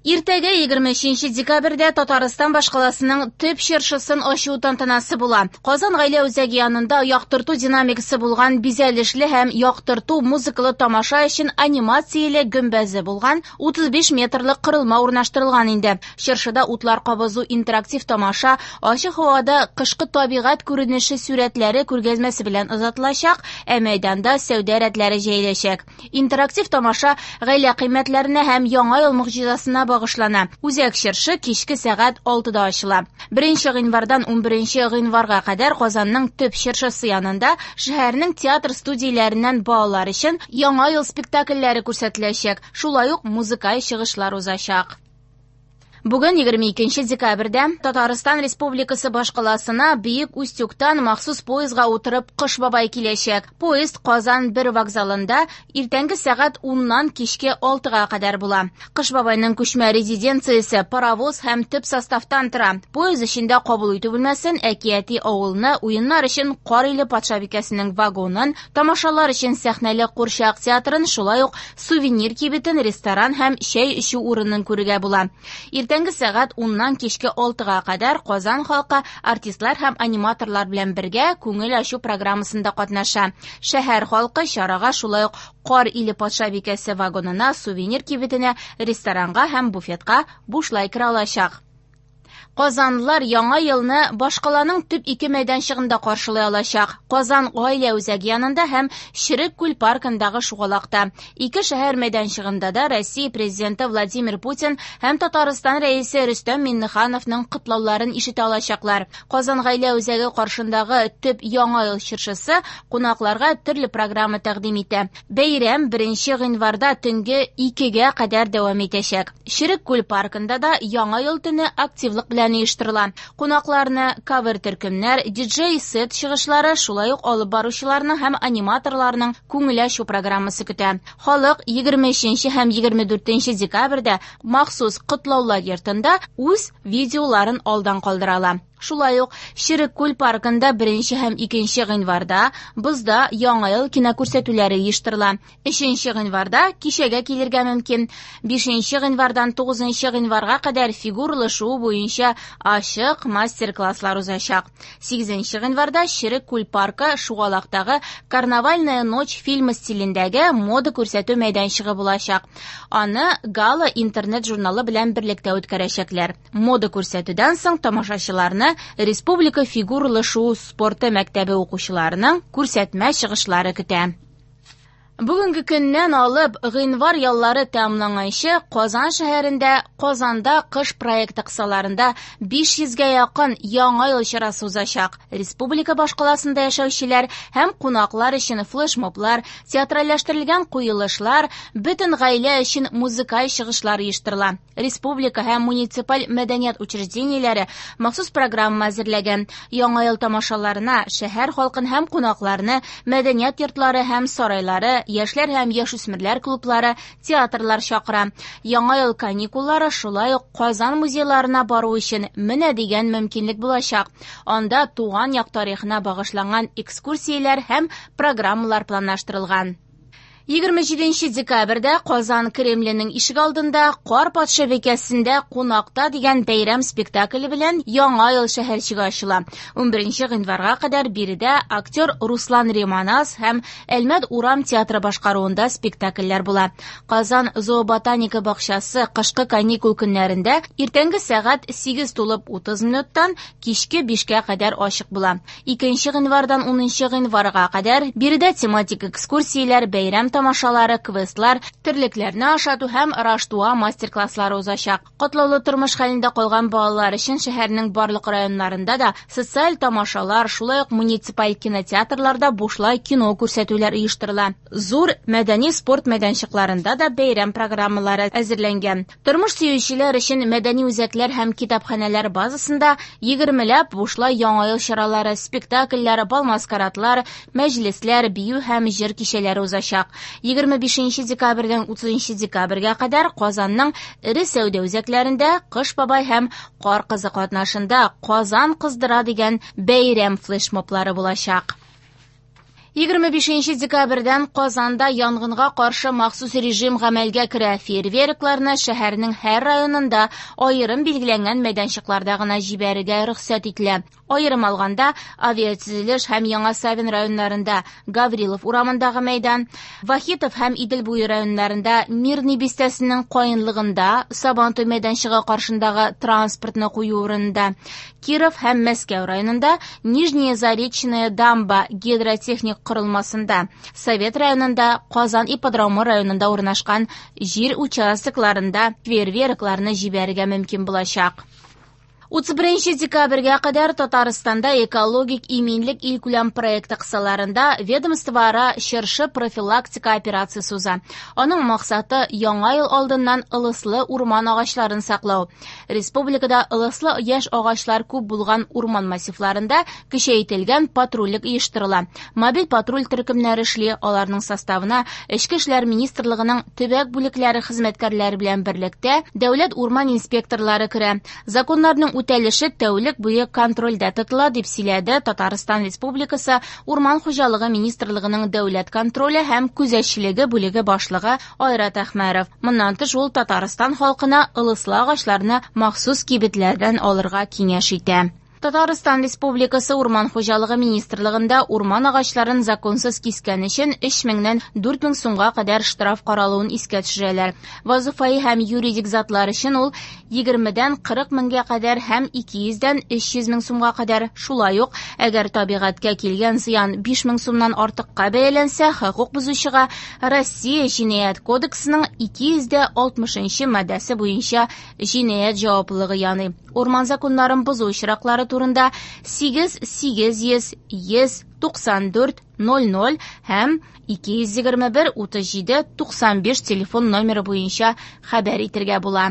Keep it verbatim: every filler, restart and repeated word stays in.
Иртәгә егерме өченче декабрьдә Татарстан башкаласының төп чыршысын ачу тантанасы була. Казан гаилә үзәге янында яктырту динамикасы булган бизәлешле һәм яктырту музыкалы тамаша өчен анимацияле гөмбәзе булган утыз биш метрлы корылма урнаштырылган инде. Чыршыда утлар кабызу интерактив тамаша ачык һавада кышкы табигать күренеше сүрәтләре күргәзмәсе белән озатылачак, ә мәйданда сәүдә рәтләре җәеләчәк. Интерактив тамаша гаилә кыйммәтләренә һәм яңа ел могҗизасына багышлана. Үзәк чыршы кичке сәгать алтыда ачыла. Беренче гыйнвардан унберенче гыйнварга кадәр Казанның төп чыршысы янында шәһәрнең театр студияләреннән балалар өчен яңа ел спектакльләре күрсәтеләчәк. Шулай ук музыкаль чыгышлар узачак. Бүген егерме икенче декабрьдә Татарстан Республикасы башкаласына Бөек Устюгтан махсус поездга утырып Кыш бабай киләчәк. Поезд Казан бер вокзалында иртәнге сәгать уннан кичке алтыга кадәр була. Кыш бабайның күчмә резиденциясе паровоз һәм төп составтан тора. Поезд эчендә кабул итү бүлмәсен, әкияти авылны, уеннар өчен Кар иле патшабикәсенең вагонын, тамашалар өчен сәхнәле курчак театрын, шулай ук сувенир кибетен, ресторан һәм чәй эчү урынын күрергә була. Иртәнге сәгать уннан кичке алтыга кадәр Казан халкы артистлар һәм аниматорлар белән бергә күңел ачу программасында катнаша. Шәһәр халкы чарага шулай ук Кар иле патшабикәсе вагонына, сувенир кибетенә, ресторанга һәм буфетка бушлай керә алачак. Казанлылар яңа елны башкаланың төп ике мәйданчыгында каршылый алачак. Казан гаилә үзәге янында һәм Черек күл паркындагы шугалакта. Ике шәһәр мәйданчыгында да Россия президенты Владимир Путин һәм Татарстан рәисе Рөстәм Миңнехановның котлауларын ишетә алачаклар. Казан гаилә үзәге каршындагы төп яңа ел чыршысы кунакларга төрле программа тәкъдим итә. Бәйрәм беренче гыйнварда төнге икегә кадәр дәвам итәчәк. Черек күл паркында да яңа ел төне активлык белән оештырыла. Кунакларны кавер төркемнәр, диджей-сет чыгышлары, шулай ук алып баручыларның һәм аниматорларның күңел ачу программасы көтә. Халык егерме өченче һәм егерме дүртенче декабрьдә махсус котлаулар йортында үз видеоларын алдан калдыра ала. Шулай ук Черек күл паркында беренче һәм икенче гыйнварда бозда яңа ел кинокүрсәтүләре оештырыла. Өченче гыйнварда кичәгә килергә мөмкин. Бишенче гыйнвардан тугызынчы гыйнварга кадәр фигуралы шуу буенча ачык мастер-класслар узачак. Сигезенче гыйнварда Черек күл паркы шугалактагы Карнавальная ночь фильмы стилендәге мода күрсәтү мәйданчыгы булачак. Аны Гала интернет журналы белән берлектә үткәрәчәкләр. Мода күрсәтүдән соң тамашачыларны Республика фигуралы шуу спорты мәктәбе укучыларының күрсәтмә чыгышлары көтә. Бүгенге көннән алып гыйнвар яллары тәмамланганчы Казан шәһәрендә Казанда кыш проекты кысаларында биш йөзгә якын яңа ел чарасы узачак. Республика башкаласында яшәүчеләр һәм кунаклар өчен флешмоблар, театральләштерелгән куелышлар, бөтен гаилә өчен музыкаль чыгышлар оештырыла. Республика һәм муниципаль мәдәният учреждениеләре махсус программа әзерләгән. Яңа ел тамашаларына шәһәр халкын һәм кунакларны мәдәният йортлары һәм сарайлары, яшьләр һәм яшүсмерләр клублары, театрлар чакыра. Яңа ел каникуллары шулай ук Казан музейларына бару өчен менә дигән мөмкинлек булачак. Анда туган як тарихына багышланган экскурсияләр һәм программалар планлаштырылган. Егерме җиденче декабрьдә Казан Кремленең ишек алдында Кар патшабикәсендә кунакта дигән бәйрәм спектакле белән Яңа ел шәһәрчеге ачыла. Унберенче гыйнварга кадәр биредә актер Руслан Риманас һәм Әлмәт урам театры башкаруында спектакльләр була. Казан зооботаника бакчасы кышкы каникул көннәрендә иртәнге сәгать сигез тулып утыз минуттан кичке бишкә кадәр ачык була. Икенче гыйнвардан унынчы гыйнварга кадәр биредә тематик экскурсияләр, бәйрәм тамашалары, квестлар, терлекләрне ашату һәм раштуа мастер-класслары узачак. Катлаулы тормыш хәлендә калган балалар өчен шәһәрнең барлык районнарында да социаль тамашалар, шулай ук муниципаль кинотеатрларда бушлай кино күрсәтүләр оештырыла. Зур мәдәни спорт мәйданчыкларында да бәйрәм программалары әзерләнгән. Тормыш сөючеләр өчен мәдәни үзәкләр һәм китапханәләр базасында егермеләп бушлай яңа ел чаралары, спектакльләр, бал-маскарадлар, мәҗлесләр, бию һәм җыр кичәләре узачак. Егерме бишенче декабрьдән утызынчы декабрьгә кадәр Казанның эре сәүдә үзәкләрендә Кыш бабай һәм Кар кызы катнашында Казан кыздыра дигән бәйрәм флешмоблары булачак. Егерме бишенче декабрьдән Казанда янгынга каршы махсус режим гамәлгә керә. Фейерверкларны шәһәрнең һәр районында аерым билгеләнгән мәйданчыкларда гына җибәрергә рөхсәт ителә. Аерым алганда, Авиатөзелеш һәм Яңа Савин районнарында Гаврилов урамындагы мәйдан, Вахитов һәм Идел буе районнарында Мирный бистәсенең каенлыгында Сабантуй мәйданчыгы каршындагы транспортны кую урынында, Киров һәм Мәскәү районында Нижняя Заречная дамба гидротехник корылмасында, Совет районында, Казан ипподромы районында урнашкан җир участокларында фейерверкларны җибәрергә мөмкин булачак. Утыз беренче декабрьгә кадәр Татарстанда экологик иминлек илкүләм проекты кысаларында ведомствоара чыршы профилактика операциясе уза. Аның максаты яңа ел алдыннан ылыслы урман агачларын саклау. Республикада ылыслы яшь агачлар күп булган урман массивларында көчәйтелгән патрульлек оештырыла. Мобиль патруль төркемнәре эшли, аларның составына Эчке эшләр министрлыгының төбәк бүлекләре хезмәткәрләре белән берлектә дәүләт урман инспекторлары керә. Законнарның үтәлеше тәүлек буе контрольдә тотыла, дип сөйләде Татарстан Республикасы Урман хуҗалыгы министрлыгының дәүләт контроле һәм күзәтчелеге бүлеге башлыгы Айрат Әхмәров. Моннан тыш ул Татарстан халкына ылыслы агачларны махсус кибетләрдән алырга киңәш итә. Татарстан Республикасы Урман хуҗалыгы министрлыгында урман агачларын законсыз кискән өчен өч меңнән дүрт мең сумга кадәр штраф каралуын искә төшерәләр. Вазифаи һәм юридик затлар өчен ул егермедән кырык меңгә кадәр һәм ике йөздән өч йөз мең сумга кадәр. Шулай ук, әгәр табигатькә килгән зыян биш мең сумнан артыкка бәяләнсә, хокук бозучыга Россия Җинаять кодексының ике йөз дә алтмышынчы маддәсе буенча җинаять җаваплылыгы яный. Урман законнарын бозу очраклары турында сигез сигез йөз йөз туксан дүрт ноль ноль һәм ике йөз егерме бер утыз җиде туксан биш телефон номеры буенча хәбәр итәргә була.